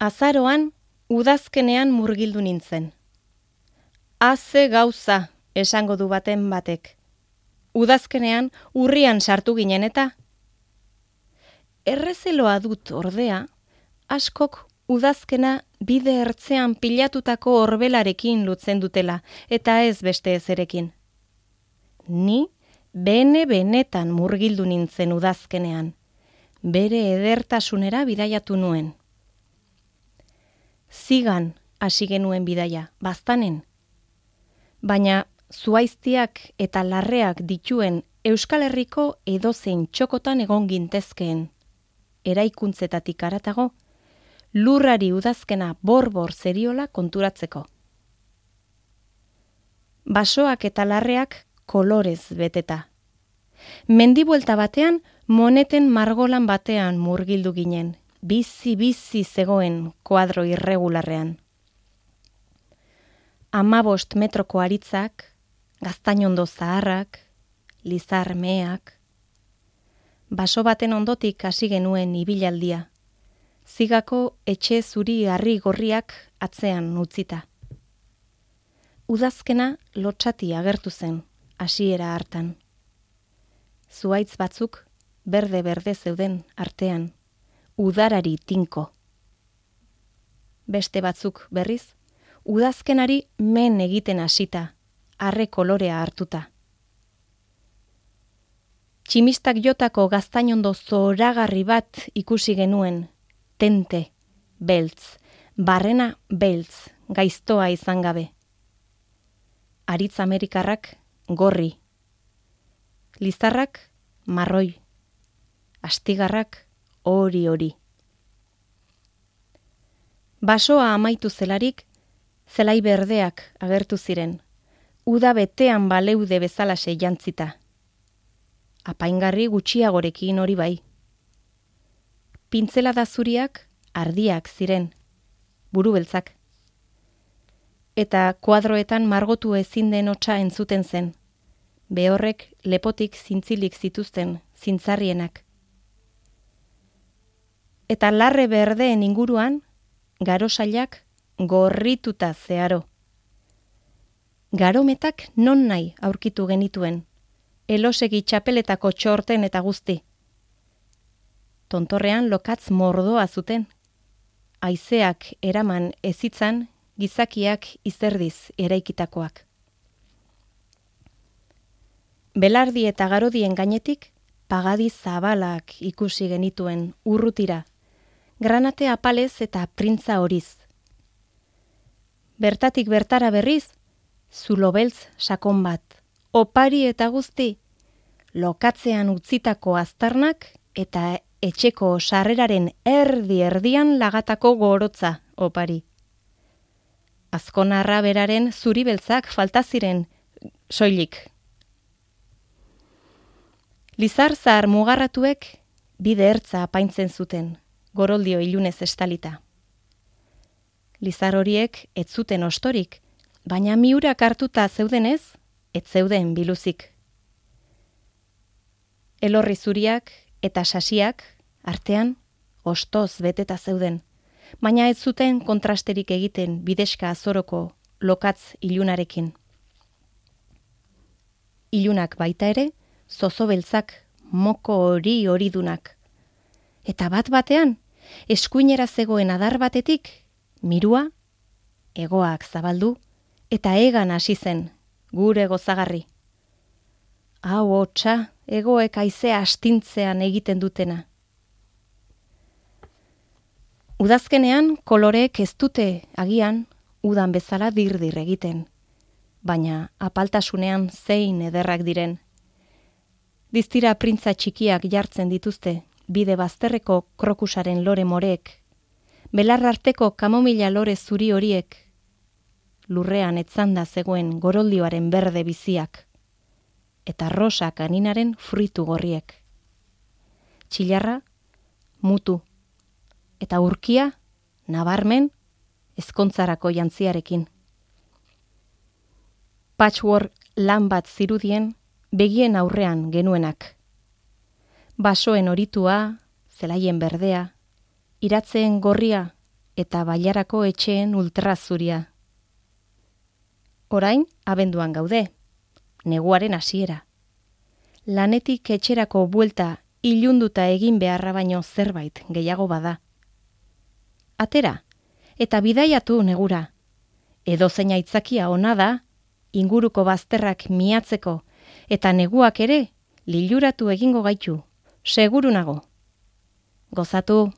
Azaroan, udazkenean murgildu nintzen. Haze gauza, esango du baten batek. Udazkenean urrian sartu ginen eta. Errezeloa dut ordea, askok udazkena bide ertzean pilatutako orbelarekin lutzen dutela, eta ez beste ezerekin. Ni benetan murgildu nintzen udazkenean, bere edertasunera bidaiatu nuen. Zigan hasi genuen bidaia, baztanen. Baina zuaiztiak eta larreak dituen Euskal Herriko edozein txokotan egon gintezkeen. Eraikuntzetatik haratago, lurrari udazkena borbor zeriola konturatzeko. Basoak eta larreak kolorez beteta. Mendibuelta batean, moneten margolan batean murgildu ginen, bizi zegoen koadro irregularrean. 15 metroko aritzak, gaztainondo zaharrak, lizar meak. Baso baten ondotik hasi genuen ibilaldia. Zigako etxe zuri harri gorriak atzean utzita. Udazkena lotsati agertu zen, hasiera hartan. Zuaitz batzuk berde zeuden artean, udarari tinko. Beste batzuk berriz, udazkenari men egiten hasita, arre kolorea hartuta. Tximistak jotako gaztainondo zoragarri bat ikusi genuen, tente, beltz, barrena beltz, gaiztoa izan gabe. Aritz amerikarrak gorri, lizarrak marroi, astigarrak hori. Basoa amaitu zelarik, zelai berdeak agertu ziren, uda betean baleude bezalaxe jantzita. Apaingarri gutxiagorekin hori bai. Pintzelada zuriak ardiak ziren, buru beltzak. Eta kuadroetan margotu ezin den hotsa entzuten zen, behorrek lepotik zintzilik zituzten zintzarrienak. Eta larre berdeen inguruan, garosailak gorrituta zeharo. Garometak non nahi aurkitu genituen, elosegi txapeletako txorten eta guzti. Tontorrean lokatz mordoa zuten. Haizeak eraman ezitzan, gizakiak izerdiz eraikitakoak. Belardi eta garodien gainetik, pagadi zabalak ikusi genituen urrutira, granate apalez eta printza horiz. Bertatik bertara berriz, zulo beltz sakon bat, opari eta guzti, lokatzean utzitako aztarnak eta etxeko sarreraren erdian lagatako gorotza opari. Azkonarra beraren zuri beltzak falta ziren soilik. Lizar zahar mugarratuek bide ertza apaintzen zuten, goroldio ilunez estalita. Lizar horiek ez zuten ostorik, baina miurak hartuta zeudenez, ez zeuden biluzik. Elorri zuriak eta sasiak artean ostoz beteta zeuden, baina ez zuten kontrasterik egiten bideska azoroko lokatz ilunarekin. Ilunak baita ere, zozo beltzak, moko hori dunak. Eta bat batean, eskuinera zegoen adar batetik, mirua, hegoak zabaldu, eta egan hasi zen, gure gozagarri. Hau hotsa, hegoek haizea astintzean egiten dutena. Udazkenean koloreek ez dute agian udan bezala dirdir egiten, baina apaltasunean zein ederrak diren. Diztira printza txikiak jartzen dituzte, bide bazterreko krokusaren lore moreek, belar arteko kamomila lore zuri horiek, lurrean etzanda zegoen goroldioaren berde biziak, eta rosa kaninaren fruitu gorriek. Txilarra, mutu, eta urkia, nabarmen, ezkontzarako jantziarekin. Patchwork lan bat zirudien, begien aurrean genuenak. Basoen horitua, zelaien berdea, iratzeen gorria, eta bailarako etxeen ultrazuria. Orain, abenduan gaude, neguaren hasiera. Lanetik etxerako buelta ilunduta egin beharra baino zerbait gehiago bada. Atera, eta bidaiatu negura. Edozein aitzakia ona da, inguruko bazterrak miatzeko, eta neguak ere liluratu egingo gaitu, seguru nago. Gozatu!